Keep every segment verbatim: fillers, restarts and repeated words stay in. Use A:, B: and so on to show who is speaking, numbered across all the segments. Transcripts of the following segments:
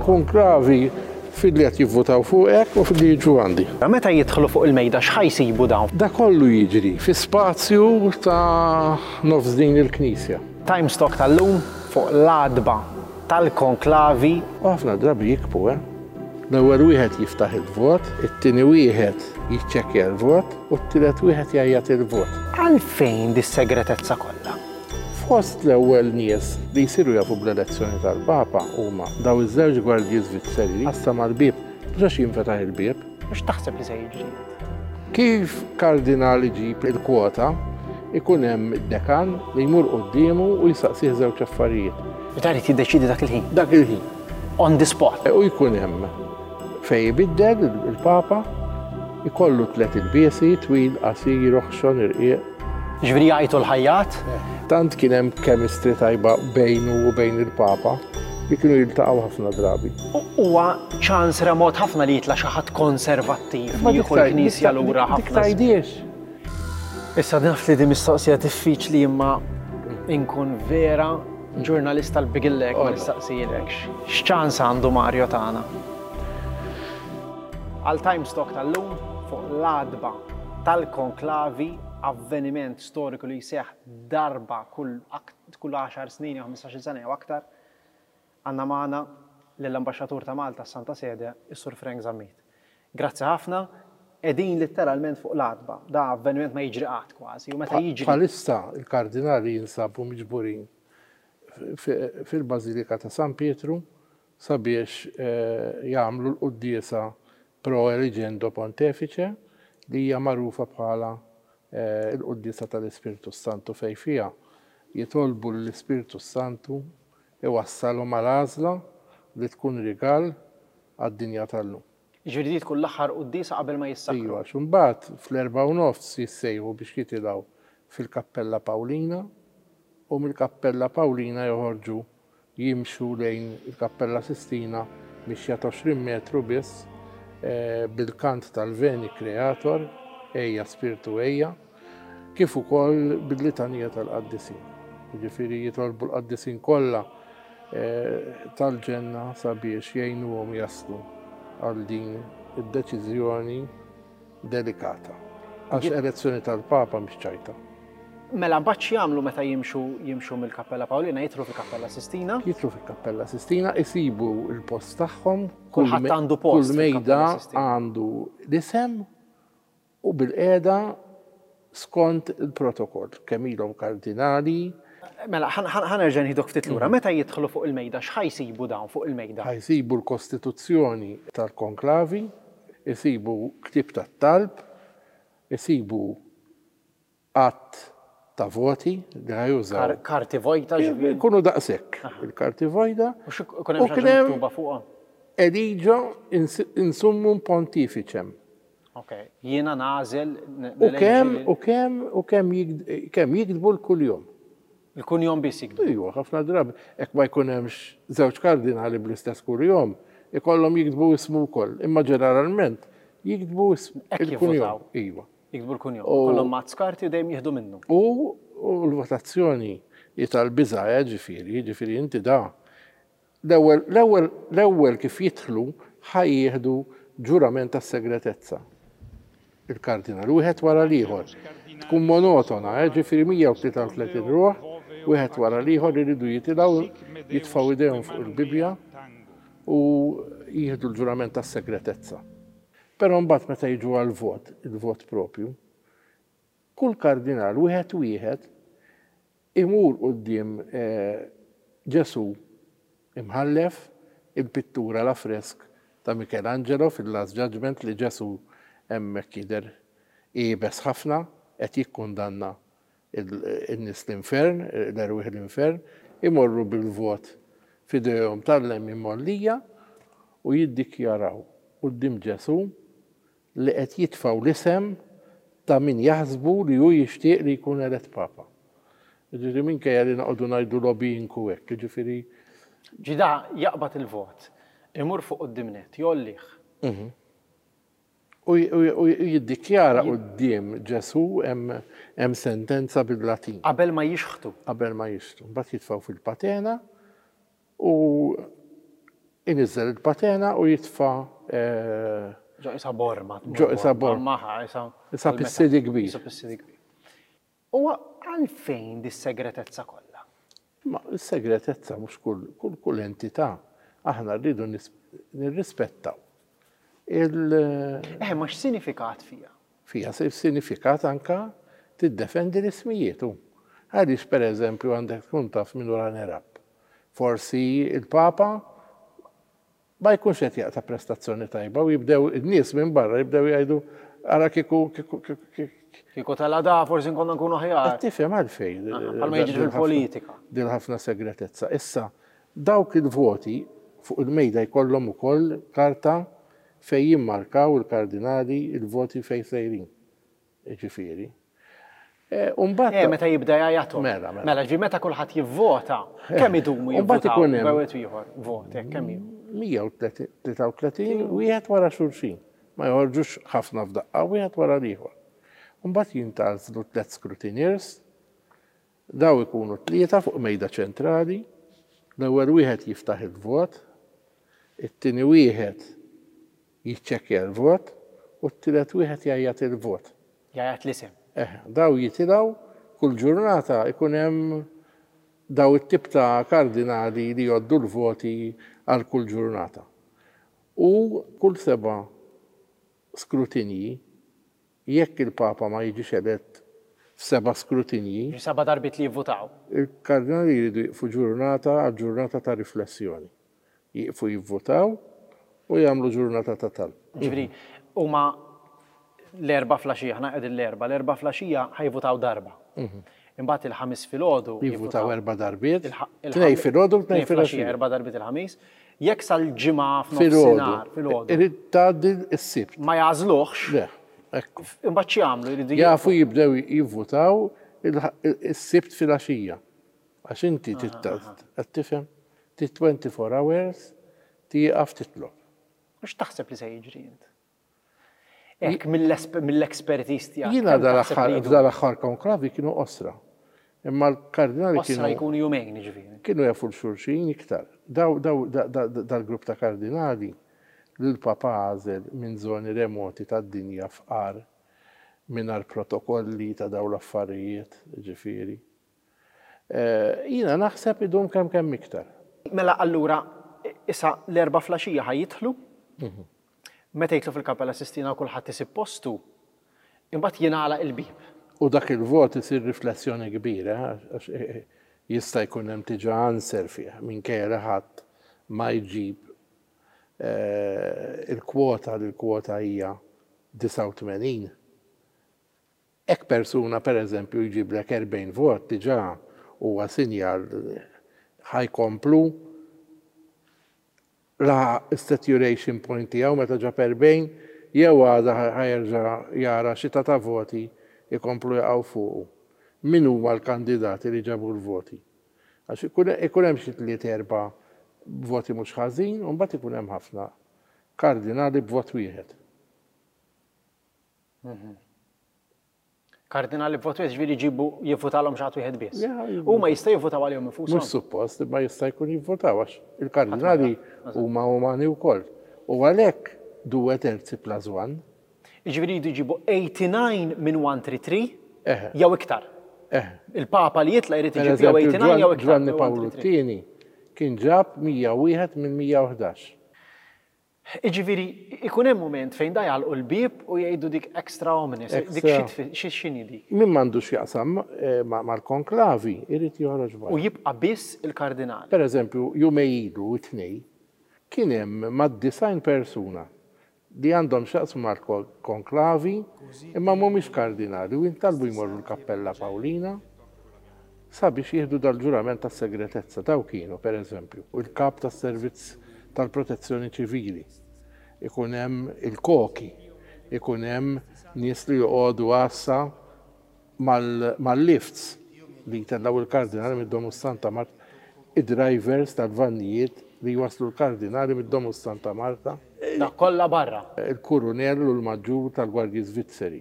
A: Konklavi filli qed jivvutaw fuqek u filli jiġu għandi.
B: Meta jidħlu fuq il-mejda x'ħa jsibu dawn?
A: Da kollu jiġri fi spazju ta' nofs din il-knisja.
B: Times Talk tal-lum fuq l-għatba tal-konklavi.
A: U ħafna drabi jikbu, eh? L-ewwel wieħed jiftaħ il-vot, it-tieni wieħed jiċċekkja l-vot u t-tielet wieħed jgħajjat il-vot.
B: Għalfejn dis-segretezza kollha?
A: Fost l-ewwel nies li jsiru jafu bl-elezzjoni tal-Papa huma daw iż-żewġ gwardji Svizzeri għassa mal-bieb, mhux għax jinfetaħ il-bieb.
B: Mhux taħseb li se jiġri?
A: Kif kardinali ġib il-kwota, ikun hemm id-dekan li jmur quddiemu u jisaqsih żewġ affarijiet.
B: U dan irid jiddeċidi dak il-ħin?
A: Dak il-ħin.
B: On the spot.
A: U jkun hemm fej ibiddel il-Papa, ikollu tliet ilbiesi, twil, qasir, oħxon, irqiq.
B: Ġifieri jgħajtu l-ħajjat?
A: Tant kien hemm chemistry tajba bejnu u bejn il-Papa li kienu jiltaqgħu ħafna drabi.
B: Huwa ċans remot ħafna li jitla' xi ħadd konservattiv li jieħu l-Knisja lura ħafna.
A: Dik tgħidiex.
B: Issa naf li di mistoqsija diffiċli imma inkun vera ġurnalista l-bigillek ma nistaqsilekx. X'ċans għandu Mario tagħna? Għal Times Talk tal-lum fuq l-għatba tal-konklavi, avveniment storiku li jseħħ darba kull kull għaxar snin jew ħmistax-il sena jew aktar, għandna magħna lill-Ambaxxatur ta' Malta Santa Sede, is-Sur Frank Zammit. Grazzi ħafna, qegħdin litteralment fuq l-għatba. Da avveniment ma jiġri qatt kważi, u meta jiġri.
A: Bħalissa il-kardinali jinsabu miġburin fil-Bażilika ta' San Pietru sabiex jagħmlu l-quddiesa pro eligendo pontefice li hija magħrufa bħala l-quddiesa tal-Ispirtu Santu, fejn fiha jitolbu l-Ispirtu Santu iwassalhom għal għażla li tkun rigal għad-dinja tal-lum.
B: Ġifieri di tkun l-aħħar quddiesa qabel ma jissakru.
A: Iva, għax imbagħad fl-erbgħa u nofs jissejħu biex jitilgħu fil-Kappella Pawlina u mill-Kappella Pawlina joħorġu jimxu lejn il-Kappella Sistina mixja ta' għoxrin metru biss bil-kant tal-Veni Creator, Ejja Spirtu Ejja, kif ukoll bil-litanija tal-qaddisin. Jiġifieri jitolbu l-qaddisin kollha tal-ġenna sabiex jgħinuhom jaslu għal din id-deċiżjoni delikata. Għax elezzjoni tal-Papa mhix ċajta.
B: Mela mbagħad x'jagħmlu meta jimxu jimxu mill-Kappella Pawlina, jidħlu fil-Kappella Sistina?
A: Jidħlu fil-Kappella Sistina, isibu l-post tagħhom,
B: kulħadd għandu post.
A: Kull mejda għandu l-isem u bil-qiegħda skont il-protokoll, kemm ilhom kardinali.
B: Mela, ħa nerġa' nieħdok ftit lura. Meta jidħlu fuq il-mejda, x'ħa jsibu dawn fuq il-mejda?
A: Ħa jsibu l-Kostituzzjoni tal-Konklavi, isibu ktieb tat-talb, isibu att ta' voti li ħa jużaw.
B: Karti vojta ġifieri.
A: Ikunu daqshekk il-karti vojta.
B: U x'ikun hemm xi ħaġa miktuba fuqha?
A: Eligio in summum pontificem.
B: Ok, jiena nagħżel.
A: U kemm u kemm u kemm kemm jiktbu l-kuljum.
B: Il-kunjom biss jiktbu.
A: Iva, ħafna drabi hekk ma jkun hemmx żewġ kardinali bl-istess kuljum, ikollhom jiktbu ismu wkoll, imma ġeneralment jiktbu il-kunjom. Iva.
B: Jiktbu l-kunjom. Kollhom mazz karti u dejjem jieħdu minnu.
A: U l-votazzjoni hi tal-biża', ġifieri, ġifieri inti da. L-ewwel l-ewwel l-ewwel kif jidħlu ħa jieħdu ġurament tas-segretezza. Il-kardinal wieħed wara l-ieħor. Tkun monotona, ġifieri mija u tlieta u tletin ruħ, wieħed wara l-ieħor iridu jitilgħu, jitfgħu idejhom fuq il-Bibbja u jieħdu l-ġurament tas-segretezza. Però mbagħad meta jiġu għall-vot, il-vot propju, kull kardinal wieħed wieħed imur quddiem Ġesù imħallef il-pittura l-affresk ta' Michelangelo fil-Last Judgment li Ġesù hemmhekk jidher iebes ħafna qed jikkundanna in-nies l-infern, l-erwieħ l-infern, imorru bil-vot f'idejhom tal-lemin mollija u jiddikjaraw quddiem Ġesù li qed jitfgħu l-isem ta' min jaħsbu li hu jixtieq li jkun elett Papa. Jiġifieri minkejja li noqogħdu ngħidu lobbying u hekk, jiġifieri.
B: Ġida jaqbad il-vot, imur fuq quddiem nett, jgħollih.
A: U jiddikjara quddiem Ġesù hemm sentenza bil-Latin.
B: Qabel ma jixħtu.
A: Qabel ma jixħtu. Mbagħad jitfgħu fil-patena u Iniżżel il-patena u jitfa' eh,
B: Ġo isa borma.
A: Ġo isa borma.
B: Maħa, isa.
A: Isa pissidi kbir.
B: Isa pissidi kbir. U għalfejn dis-segretezza kollha?
A: Ma s-segretezza mhux kull kull kull entità. Aħna rridu nis- nirrispettaw. Il
B: Eh, ma x'sinifikat fija?
A: Fija se sinifikat anka tiddefendi l-ismijiet. Għaliex, per eżempju, għandek tkun taf minn runner-up. Forsi il-Papa ma jkunx qed jaqta' prestazzjoni tajba u jibdew in-nies minn barra jibdew jgħidu, "Ara kieku kieku kieku
B: Kieku tal-għada forsi nkonna nkunu aħjar."
A: Qed tifhem għalfejn?
B: Bħalma jiġri fil-politika.
A: Dil ħafna segretezza. Issa, dawk il-voti fuq il-mejda jkollhom ukoll karta fej jimmarkaw il-kardinali il-voti fej sejrin. Ġifieri. E, Umbagħad
B: Eh, meta jibda jgħajjathom.
A: Mela, mela.
B: Mela, ġi meta kulħadd jivvota, kemm idumu
A: Umbagħad
B: jivvotaw?
A: ikun hemm-
B: Bejn wieħed u ieħor, vot, hekk kemm ilu?
A: mija u tlieta u tletin wieħed wara xulxin. Ma joħorġux ħafna f'daqqa, wieħed wara l-ieħor. Mbagħad jintgħażlu tliet scrutineers, daw ikunu tlieta fuq mejda ċentrali, l-ewwel wieħed jiftaħ il-vot, it-tieni wieħed jiċċekkja l-vot u t-tielet wieħed jgħajjat il-vot.
B: Jgħajjat l-isem.
A: Eh, daw jitilgħu kull ġurnata, ikun hemm daw it-tip ta' kardinali li jgħoddu l-voti għal kull ġurnata. U kull seba' skrutinji, jekk il-Papa ma jiġix elett f'seba' skrutinji,
B: Ġi seba' darbiet li jivvotaw.
A: il-kardinali jridu jiqfu ġurnata għal ġurnata ta' riflessjoni. Jiqfu jivvotaw u jagħmlu ġurnata ta' talb.
B: Ġifieri, huma l-Erbgħa filgħaxija, ħna qegħdin l-Erbgħa, l-Erbgħa filgħaxija ħa jivvotaw darba. Imbagħad il-Ħamis filgħodu
A: Jivvotaw erba' darbiet,
B: il-ħa-
A: tnej filgħodu u tnej
B: tnejn filgħaxija,
A: filgħaxija.
B: erba' darbiet il-Ħamis. Jekk sal-Ġimgħa
A: Filgħodu.
B: f'nofsinhar filgħodu
A: Irid tgħaddi s-Sibt.
B: ma jagħżluhx,
A: Le, ekku.
B: imbagħad x'jagħmlu? Jridu
A: Jafu jibdew jivvotaw il- is-Sibt filgħaxija. Għax inti qed tifhem, ti twenty-four hours tieqaf titlob.
B: Mhux taħseb li se jiġri int? Hekk mill-expertise tiegħek.
A: Jiena
B: kemm taħseb
A: dal-aħħar
B: li jdu?
A: F'dal-aħħar konklavi kienu qosra. Imma l-kardinali
B: Qosra
A: kienu
B: jkunu jumejn, ġifieri.
A: Kienu jafu l-xulxin iktar. Daw, daw, da- da- da- dal-grupp ta' kardinali li l-Papa għażel minn zoni remoti tad-dinja, fqar, mingħajr protokolli ta' daw l-affarijiet, ġifieri. Eh, Jiena naħseb idum kemm kemm iktar.
B: Mela allura, issa l-Erbgħa filgħaxija ħa jidħlu, meta jidħlu fil-Kappella Sistina u kulħadd isib postu, imbagħad jingħalaq il-bib.
A: U dak il-vot isir riflessjoni kbira, għax eh, eh, jista' jkun hemm diġà answer fih, minkejja li ħadd ma jġib eh, il-kwota, li l-kwota hija disgħa u tmenin. Ek persuna, per eżempju, jġiblek erbgħin vot, diġà huwa sinjal ħa jkomplu la saturation point tiegħu meta ġab erbgħin, jew għada ħa jerġa' jara xita ta' voti ikomplu jaqgħu fuqu. Min huma l-kandidati li ġabu l-voti? Għax ikun ikun hemm xi tliet, erba' voti mhux ħażin, u mbagħad ikun hemm ħafna kardinali b'vot wieħed.
B: Kardinali b'vot wieħed, ġifieri jġibu jivvutalhom xi ħadd wieħed biss.
A: Ja,
B: Huma jista' jivvutaw għalihom infushom.
A: Mhux suppost, imma jista' jkun jivvotaw għax il-kardinali huma umani wkoll. U għalhekk due terzi plus one.
B: Ġifieri jridu jġibu eighty-nine minn one three three
A: Eħe.
B: jew iktar.
A: Eh,
B: Il-Papa li jitla jrid
A: Per
B: iġib jew
A: eżempju,
B: eighty-nine jew iktar.
A: Giovanni
B: minn
A: Paolo
B: one three three.
A: Tieni kien ġab mija u wieħed minn mija u ħdax.
B: Iġifieri, ikun hemm moment fejn da jagħlqu l-bib u jgħidu dik extra omnes, dik
A: Extra.
B: xi tfi- xi x'inhi dik?
A: Min m'għandux jaqsam eh, ma- mal-konklavi, irid joħroġ
B: U
A: barra.
B: jibqa' biss il-kardinali.
A: Per eżempju, jumejn ilu, it-Tnejn, kien hemm mad-disgħin persuna li għandhom x'jaqsmu mal-konklavi imma mhumiex kardinali u jintalbu jmorru l-Kappella Paolina sabiex jieħdu dal-ġurament tas segretezza. Daw kienu, per eżempju, il-kap tas-servizz tal-protezzjoni ċivili, ikun hemm il-koki, ikun hemm nies li joqogħdu għassa mal-lifts li jtellaw il-kardinali mid-Domus Santa Marta, id-drivers tal-vannijiet li jwaslu l-kardinali mid-Domus Santa Marta.
B: Da kollha barra.
A: Il-kurunell u l-maġġur tal-Gwardji Svizzeri.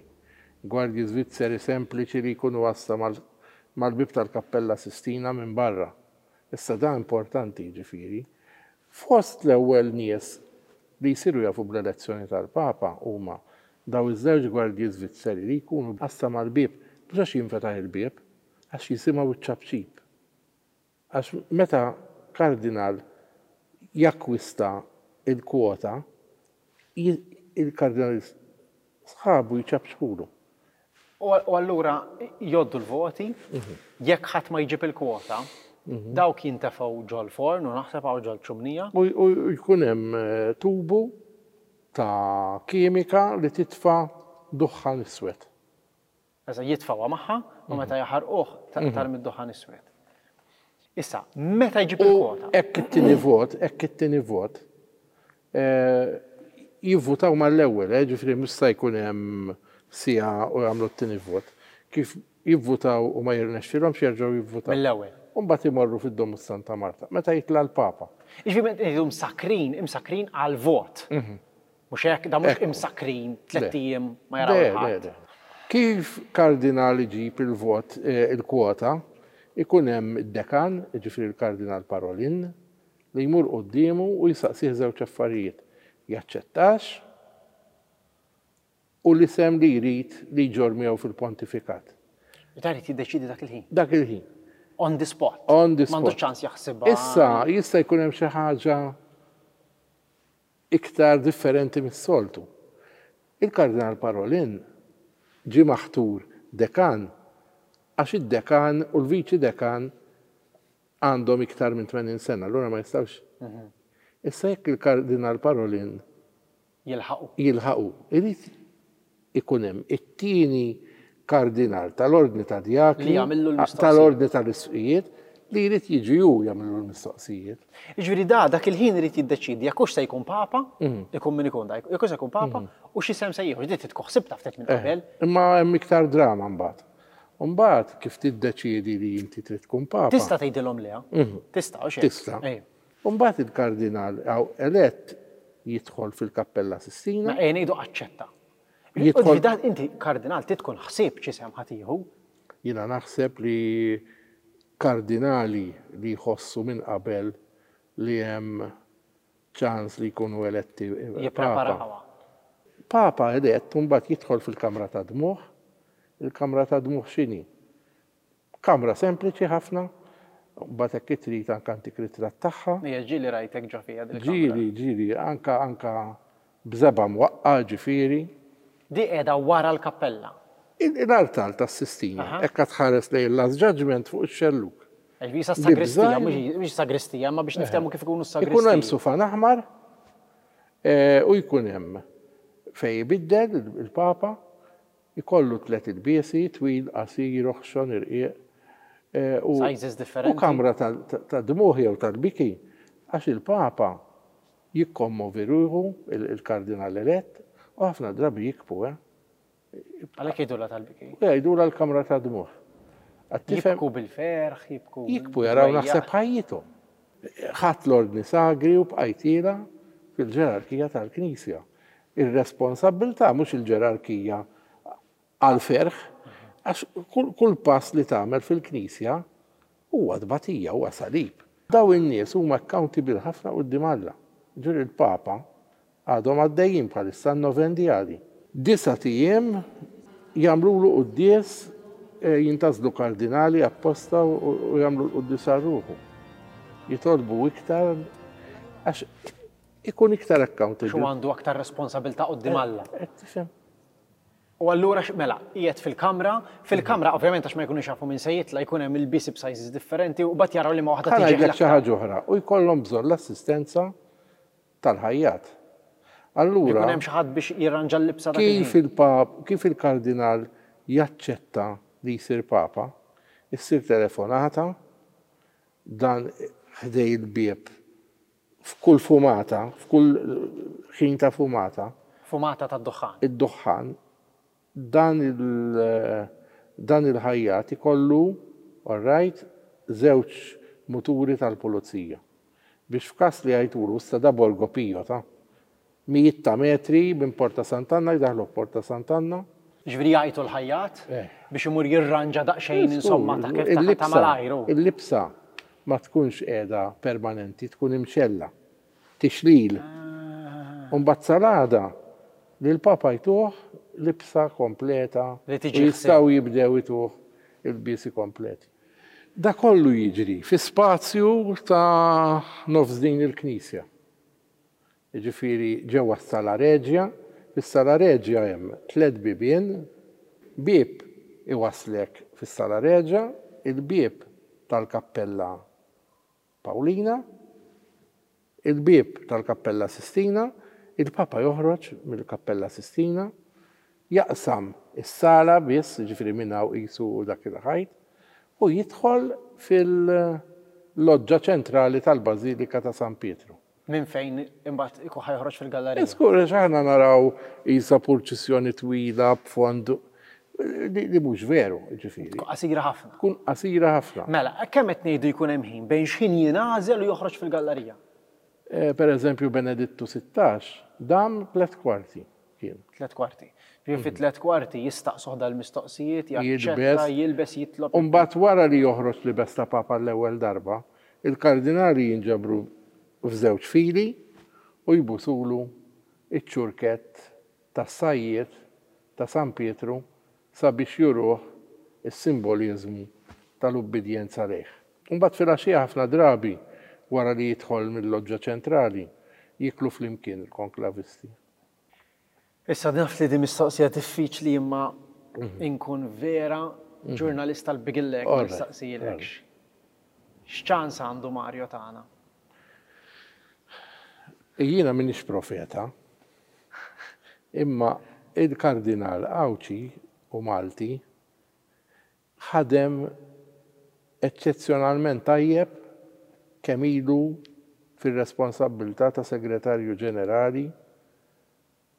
A: Gwardji Svizzeri sempliċi li jkunu għassa mal-bib tal-Kappella Sistina minn barra. Issa da importanti, ġifieri. Fost l-ewwel nies li jsiru jafu bl-elezzjoni tal-Papa huma daw iż-żewġ gwardji Svizzeri li jkunu għassa mal-bieb, mhux għax jinfetaħ il-bieb, għax jisimgħu ċ-ċapċip. Għax meta kardinal jakkwista il-kwota, il-kardinal sħabu jċapċpulu.
B: U allura jgħoddu l-voti, jekk ħadd ma jġib il-kwota, dawk jintefgħu ġol-forn u naħseb hawn ġol-ċumnija.
A: U jkun hemm tubu ta' kimika li titfa' duħħan iswed.
B: Eżatt, jitfgħuha magħha u meta jaħarquh tarmi d-duħħan iswed. Issa, meta jġib il-kwota?
A: Hekk it-tieni vot, hekk it-tieni vot, jivvutaw mal-ewwel, ġifieri mhux se jkun hemm siegħa u jagħmlu t-tieni vot. Kif jivvutaw u ma jirnexxilhomx jerġgħu jivvutaw.
B: Mill-ewwel.
A: U mbagħad imorru fid-Domus Santa Marta, meta jitla' l-Papa.
B: Jiġifieri meta ngħidu msakrin, imsakrin għall-vot. Mhux hekk, da mhux imsakrin tlett ijiem ma jaraw ħadd.
A: Kif kardinal iġib il-vot, il-kwota, ikun hemm id-dekan, jiġifieri l-Kardinal Parolin, li jmur quddiemu u jsaqsih żewġ affarijiet. Jaċċettax u l-isem li jrid li jġorr miegħu fil-pontifikat.
B: Dan irid jiddeċiedi dak il-ħin.
A: Dak il-ħin.
B: On the spot.
A: On the spot.
B: M'għandux ċans jaħsibha.
A: Issa jista' jkun hemm xi ħaġa iktar differenti mis-soltu. Il-Kardinal Parolin ġie maħtur dekan għax id-dekan u l-viċi dekan għandhom iktar minn tmenin sena, allura ma jistgħux. Issa jekk il-Kardinal Parolin
B: jilħaqu.
A: Jilħaqu, irid ikun hemm it-tieni kardinal tal-ordni ta' djakni,
B: Li jagħmillu l-mistoqsijiet.
A: tal-ordni tal-isqfijiet, li jrid jiġi hu jagħmillu l-mistoqsijiet.
B: Jiġifieri da dak il-ħin irid jiddeċiedi jekk hux se jkun papa, ikun min ikun da, jekk hux se jkun papa, u x'isem se jieħu, ġiet tkun ħsibta ftit minn qabel.
A: Imma hemm iktar drama mbagħad. Mbagħad kif tiddeċiedi li inti trid tkun papa.
B: Tista' tgħidilhom le? Tista' u xejn.
A: Tista'.
B: Ejja.
A: Mbagħad il-kardinal hawn elett jidħol fil-Kappella Sistina.
B: Ma ejja ngħidu aċċetta.
A: Jidħol
B: Dan inti kardinal trid tkun ħsieb x'isem ħa tieħu.
A: Jiena naħseb li kardinali li jħossu minn qabel li hemm ċans li jkunu eletti papa.
B: Jippreparawha.
A: Papa elett mbagħad jidħol fil-kamra ta' dmuħ. Il-kamra ta' dmuħ x'inhi? Kamra sempliċi ħafna, mbagħad hekk trid anke antik ritratt tagħha.
B: Ija ġieli rajtek ġo fiha dil-kamra.
A: Ġieli, ġieli, anka anka b'żebgħa mwaqqa' ġifieri.
B: Di qiegħda wara l-kappella.
A: Il-artal tas-Sistina, hekk tħares lejn il-Last Judgment fuq ix-xelluk.
B: Ġifieri sa sagristija, mhux sagristija, ma biex niftehmu kif ikunu s-sagristija.
A: Ikun hemm sufan aħmar u jkun hemm fejn ibiddel il-Papa, ikollu tliet ilbiesi, twil, qasir, oħxon, irqiq.
B: Sizes differenti.
A: U kamra ta' dmuħ jew tal-biki, għax il-Papa jikkommovi ruħu, il-kardinal elett, u ħafna drabi jikbu, eh?
B: Għalhekk jgħidulha tal-biki.
A: U jgħidulha l-kamra ta' dmuħ.
B: Jibku bil-ferħ, jibku.
A: Jibku jaraw naħseb ħajjithom. Ħadd l-ordni sagri u bqajtila fil-ġerarkija tal-Knisja. Ir-responsabbiltà mhux il-ġerarkija għal-ferħ, għax kull pass li tagħmel fil-Knisja huwa tbatija, huwa salib. Daw in-nies huma accountable ħafna quddiem Alla. Ġifieri il-Papa għadhom għaddejjin bħalissa n-novendjali. Disat ijiem jagħmlulu quddies, jintgħażlu kardinali apposta u jagħmlu l-quddies għal ruħu. Jitolbu iktar għax ikun iktar accountable.
B: Xu għandu aktar responsabilità quddiem Alla.
A: Qed tifhem.
B: U allura mela, qiegħed fil-kamra, fil-kamra ovvjament għax ma jkunux jafu minn se jitla' jkun hemm il-bies b'sizes differenti u mbagħad jaraw li ma waħda
A: Ħa
B: tiġi
A: ngħidlek xi ħaġa oħra u jkollhom bżonn l-assistenza tal-ħajjat. Allura
B: Ikun hemm xi ħadd biex jirranġa l-libsa dak
A: kif il-pap, kif il-kardinal jaċċetta li jsir papa, issir telefonata dan ħdej il-bieb f'kull fumata, f'kull ħin ta' fumata.
B: Fumata tad-duħħan.
A: Id-duħħan, dan il- dan il-ħajjat ikollu, all right, żewġ muturi tal-pulizija. Biex f'każ li jgħidulu issa da Borgo Pio ta' mijiet ta' metri minn Porta Sant'Anna jdaħlu Porta Sant'Anna.
B: Ġifieri jgħajtu l-ħajjat biex imur jirranġa daqsxejn insomma ta' kif ta' malajru.
A: Il-libsa ma tkunx qiegħda permanenti, tkun imxella. Tixlil. U mbagħad sal-għada li l-Papa jtuh libsa kompleta
B: Li
A: u
B: tiġi
A: jistgħu jibdew ituh il-bisi kompleti. Da kollu jiġri fi spazju ta' nofs din il-knisja. Jiġifieri ġewwa s-Sala Reġja, fis-Sala Reġja hemm tliet bibien, bieb iwaslek fis-Sala Reġja, il-bieb tal-Kappella Pawlina, il-bieb tal-Kappella Sistina, il-Papa joħroġ mill-Kappella Sistina, jaqsam is-sala biss, ġifieri minn hawn qisu dak il-ħajt, u jidħol fil-loġġa ċentrali tal-Bażilika ta' San Pietru.
B: Minn fejn imbagħad ikun ħa joħroġ fil-gallerija.
A: Skur, aħna naraw isa purċissjoni twila b'fond li, li mhux veru, ġifieri.
B: Tkun qasira ħafna.
A: Tkun qasira ħafna.
B: Mela, kemm qed ngħidu jkun hemm ħin bejn x'ħin jingħażel u joħroġ fil-gallerija?
A: Eh, Per eżempju, Benedittu sittax dam tlet kwarti kien.
B: Tlet kwarti. Ġifieri fi tlet kwarti jistaqsuh dal-mistoqsijiet, jaċċetta,
A: Jilbes.
B: jilbes, jitlob.
A: Umbat wara li joħroġ libes ta' papa l-ewwel darba, il-kardinali jinġabru f'żewġ fili u jbusulu iċ-ċurkett tas-sajjiet ta' San Pietru sabiex juruh is-simbolizmu tal-ubbidjenza lejh. Umbat fil-għaxija ħafna drabi wara li jidħol mill-loġġa ċentrali jiklu flimkien il-konklavisti.
B: Issa naf li di mistoqsija diffiċli, imma inkun vera ġurnalista l-bigillek ma
A: Alright,
B: nistaqsijilekx. X'ċans għandu Mario tagħna?
A: Jiena minix profeta, imma il-kardinal Għawdxi u Malti ħadem eċċezzjonalment tajjeb kemm ilu fir-responsabbiltà ta' segretarju ġenerali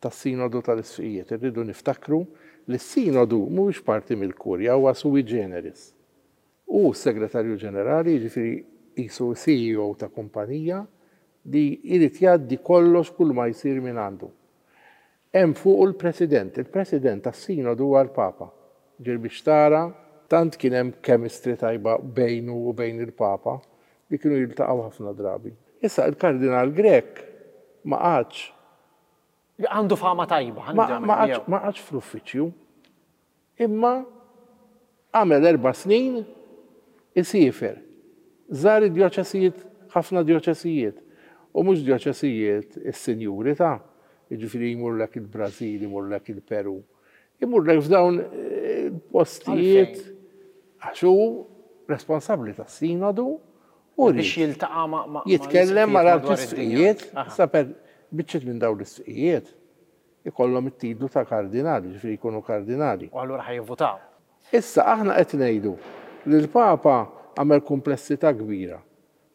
A: tas-Sinodu tal-Isqfijiet. Irridu niftakru li s-Sinodu mhuwiex parti mill-Kurja, huwa sui generis. U s-segretarju ġenerali, jiġifieri qisu C E O ta' kumpanija li jrid jgħaddi kollox kull ma jsir minn għandu. Hemm fuq il-President, il-President tas-Sinodu huwa l-Papa. Ġir biex tara, tant kien hemm chemistry tajba bejnu u bejn il-Papa li kienu jiltaqgħu ħafna drabi. Issa il-Kardinal Grech ma qagħadx
B: Għandu fama tajba.
A: ma ma qagħadx ma qagħadx fl-uffiċċju, imma għamel erba' snin isiefer. Żar id-djoċesijiet, ħafna djoċesijiet. U mhux djoċesijiet is-sinjuri ta' jiġifieri jmurlek il-Brażil, imurlek il-Peru. Imurlek f'dawn eh, il-postijiet għax hu responsabbli tas-sinodu u
B: biex
A: jrid
B: jiltaqa' ma' ma'
A: jitkellem
B: ma' madwar
A: mal-arċisqfijiet,
B: id-dinja. Aha.
A: sa per biċċiet minn dawn l-isqfijiet ikollhom it-titlu ta' kardinali, ġifieri jkunu kardinali.
B: U allura ħa jivvutaw.
A: Issa aħna qed ngħidu li l-Papa għamel komplessità kbira.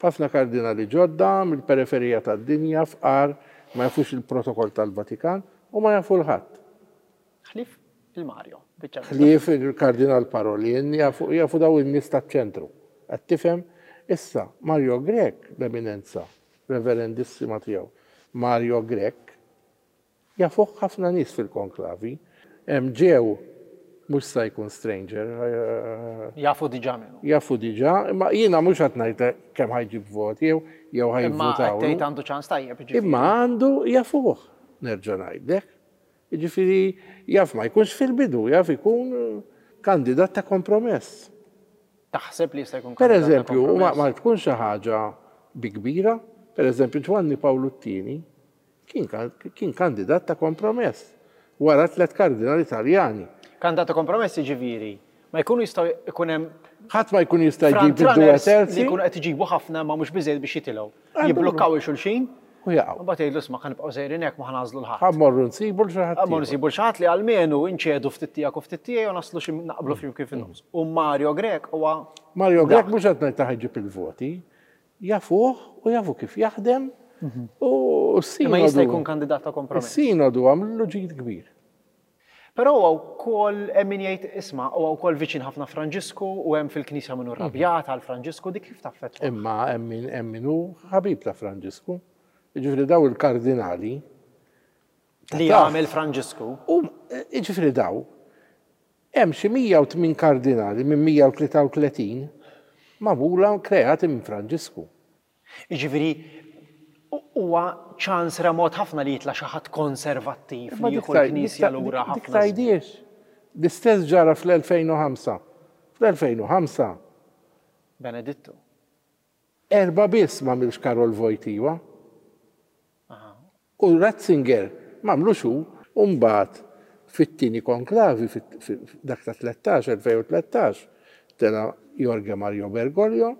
A: Ħafna kardinali ġodda mill-periferija tad-dinja, fqar, ma jafux il-protokoll tal-Vatikan u ma jafu 'l ħadd.
B: Ħlief il-Mario. Biċċa
A: Ħlief il-Kardinal Parolin jafu, jafu daw in-nies taċ-ċentru. Qed tifhem? Issa Mario Grech, l-eminenza reverendissima tiegħu, Mario Grech, jafuh ħafna nies fil-konklavi. Hemm ġew mhux sa jkun stranger, eh,
B: Jafu diġà minnu.
A: Jafu diġà, imma jiena mhux qed ngħid kemm ħa jġib voti jew jew
B: Imma qed
A: ħa jivvutaw.
B: tgħid għandu ċans tajjeb, ġifieri.
A: Imma għandu, jafuh, nerġa' ngħidlek. Jiġifieri jaf ma jkunx fil-bidu, jaf ikun kandidat ta' kompromess.
B: Taħseb li jista' jkun
A: Per
B: kandidat ta'
A: eżempju, ma,
B: kompromess?
A: ma tkun xi ħaġa bi kbira, per eżempju Ġwanni Pawlu t-Tieni kien, kan- kien kandidat ta' kompromess wara tliet kardinali Italjani.
B: Kandidat ta' kompromess ġifieri ma jkunu jistgħu jkun hemm
A: Ħadd ma jkun jista' jġib
B: front
A: id-due
B: runners li
A: terzi
B: jkunu qed iġibu ħafna ma mhux biżejjed biex jitilgħu.
A: Għandu
B: Jiblukkaw il-xulxin,
A: u jaqgħu.
B: u mbagħad jgħidu, "Isma', ħa nibqgħu sejrin hekk, ma ħa nagħżlu 'l ħadd.
A: Ħa mmorru nsibu 'l xi ħadd
B: Ħa mmorru
A: ieħor.
B: nsibu 'l xi ħadd li almenu inċedu ftit tiegħek u ftit tiegħi u naslu xi naqblu fim kif in-nofs." U Mario Grech huwa
A: Mario Grech
B: dak.
A: mhux qed ngħid ta' ħa jġib il-voti, jafuh u jafu kif jaħdem u s-sinodu.
B: Imma jista' jkun kandidat ta' kompromess.
A: Is-sinodu għamlu ġid kbir.
B: Però huwa wkoll hemm min jgħid, isma', huwa wkoll viċin ħafna Franġisku u hemm fil-Knisja minnu rrabjat għal Franġisku, dik kif taffettwa?
A: Imma hemm min hemm min hu ħabib ta' Franġisku. Jiġifieri daw il-kardinali
B: Li
A: taħt.
B: jagħmel Franġisku.
A: U jiġifieri daw hemm xi mija u tmien kardinali minn mija u tlieta u tletin magħmula kreati minn Franġisku.
B: Jiġifieri Huwa ċans remot ħafna li jitla' xi ħadd konservattiv li jieħu l-Knisja lura
A: dik
B: ħafna. żmien.
A: Tgħidiex. L-istess ġara fl-elfejn u ħamsa. Fl-elfejn u ħamsa
B: Benedittu.
A: Erba biss m'għamilx Karol Wojtyła.
B: Aha.
A: U Ratzinger m'għamlux hu, u mbagħad fit-tieni konklavi, fit- fi- dak ta' tlettax, elfejn u tlettax, tela' Jorge Mario Bergoglio,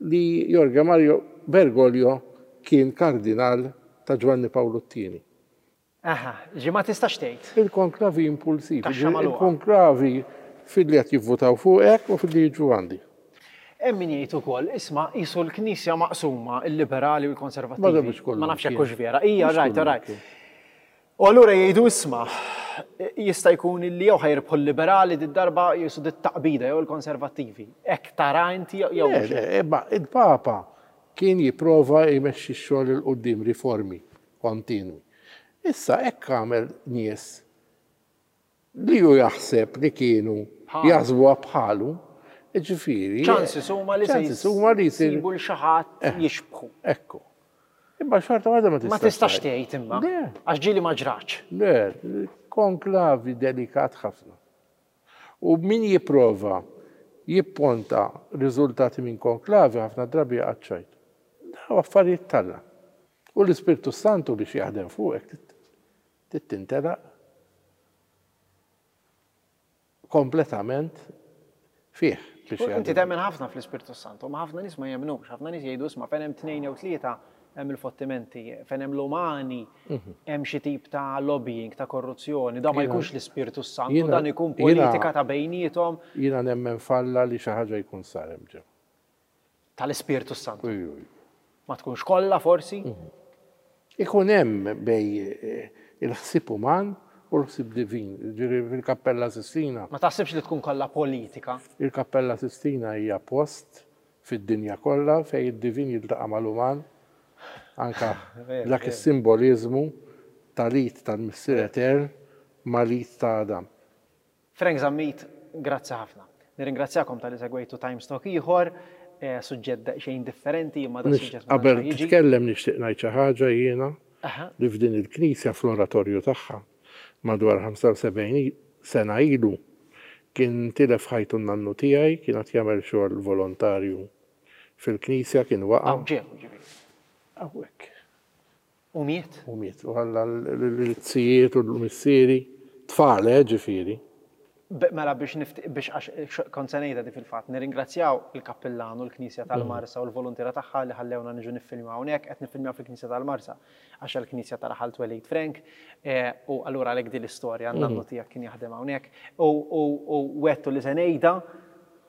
A: li Jorge Mario Bergoglio kien kardinal ta' Ġwanni Pawlu t-Tieni.
B: Aha, ġi ma tistax tgħid.
A: Il-konklavi impulsivi,
B: Kaxxa magħluqa.
A: Il-konklavi fil-li qed jivvutaw fuqek u fil-li jiġu għandi.
B: Hemm min jgħid ukoll, isma' qisu l-Knisja maqsuma, il-liberali u
A: Ma da
B: l-konservattivi.
A: mhux kollu
B: Ma nafx jekk
A: kien.
B: hux vera. Ija,
A: Mhux
B: right,
A: kollu
B: right.
A: kien.
B: U allura jgħidu, isma' jista' jkun li jew ħa jirbħu l-liberali did-darba jisu dit-taqbida jew il-konservattivi. Hekk tara inti jew
A: Le,
B: mhux?
A: le, imma il-Papa kien jipprova jmexxi x-xogħol 'il quddiem, riformi kontinwi. Issa hekk għamel nies li ju jaħseb li kienu
B: Bħalu.
A: jaħsbuha bħalu, ġifieri.
B: Chances huma li se
A: Chances huma li jsir.
B: jsibu 'l xi ħadd jixbħu.
A: Ekku. Imma xorta waħda ma tistax.
B: Ma tistax tgħid imma.
A: Le.
B: Għax ġieli ma ġratx.
A: Le, konklavi delikat ħafna. U min jipprova jipponta riżultati minn konklavi ħafna drabi għadċajt. Daw affarijiet t'Alla. U l-Ispirtu Santu biex jaħdem fuqek trid tintelaq kompletament fih biex
B: U inti
A: jaħdem.
B: temmen ħafna fl-Ispirtu Santu, ma ħafna nies ma jemmnux, ħafna nies jgħidu, isma' fejn hemm tnejn jew tlieta hemm il-fottimenti, fejn hemm l-umani, hemm xi tip ta' lobbying, ta' korruzzjoni, da ma
A: Jiena-
B: jkunx l-Ispirtu Santu,
A: jiena-
B: dan ikun
A: jiena-
B: politika ta' bejniethom.
A: Jiena nemmen f'Alla li xi ħaġa jkun sar hemm ġew.
B: Tal-Ispirtu Santu.
A: Uj, uj.
B: Ma tkunx kollha forsi?
A: Ikun hemm bej eh, il-ħsieb uman u l-ħsieb divin. Ġifieri fil-Kappella Sistina.
B: Ma taħsibx li tkun kollha politika?
A: Il-Kappella Sistina hija post fid-dinja kollha fejn id-divin jiltaqa' mal-uman, anka
B: Ver,
A: dak
B: ver.
A: is-simboliżmu tal-id tal-Missier Etern mal-id ta' Adam.
B: Frank Zammit, grazzi ħafna. Nirringrazzjakom talli segwejtu Times Talk ieħor, eh, suġġett daqsxejn differenti, imma da
A: Nix-
B: suġġett ma
A: Qabel
B: tantx jiġi.
A: titkellem nixtieq ngħid xi ħaġa jiena
B: Aha.
A: li f'din il-knisja fl-oratorju tagħha madwar ħamsa u sebgħin sena ilu kien tilef ħajtu n-nannu tiegħi, kien qed jagħmel xogħol volontarju fil-knisja, kien waqa'.
B: Hawn ġew, ġifieri.
A: Hawnhekk.
B: U miet?
A: U miet. U ħalla l-zijiet u l-missieri, tfal, eh, ġifieri.
B: Be- Mela biex nift biex għax kont se ngħidha di fil-fatt, nirringrazzjaw il-kappillan u l-Knisja tal-Marsa u l-volontiera tagħha li ħallewna niġu niffilmjaw hawnhekk, qed niffilmjaw fil-Knisja tal-Marsa għax il-Knisja ta' raħal twelid Frank, eh, u allura għalhekk din l-istorja n-nannu tiegħek kien jaħdem hawnhekk u u u wettu li se ngħidha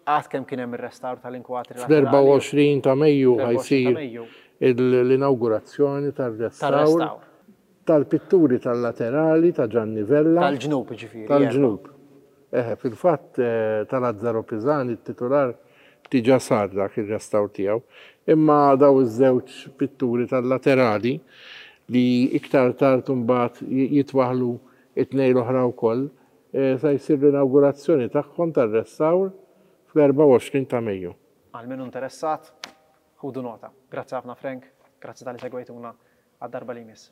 B: għad kemm kien hemm ir-restawr tal-inkwatri
A: Fl-erbgħa u għoxrin ta' Mejju
B: Fl-erbgħa u għoxrin ta'
A: ħa jsir
B: Mejju.
A: il- l-inaugurazzjoni tal-restawr
B: Tar-restawr.
A: tal-pitturi tal-laterali ta' Gianni Vella.
B: Tal-ġnub ġifieri.
A: Tal-ġnub. Eħe, fil-fatt eh, tal-Azzaro Pisani, il-titular, diġà sar dak il-restawr tiegħu. Imma daw iż-żewġ pitturi tal-laterali li iktar tard imbagħad jitwaħlu it-tnejn l-oħra wkoll, eh, sa jsir l-inaugurazzjoni tagħhom tar-restawr fl-erbgħa u għoxrin ta' Mejju.
B: Għal min interessat, ħudu nota. Grazzi ħafna, Frank, grazzi talli segwejtuna, għad-darba li jmiss.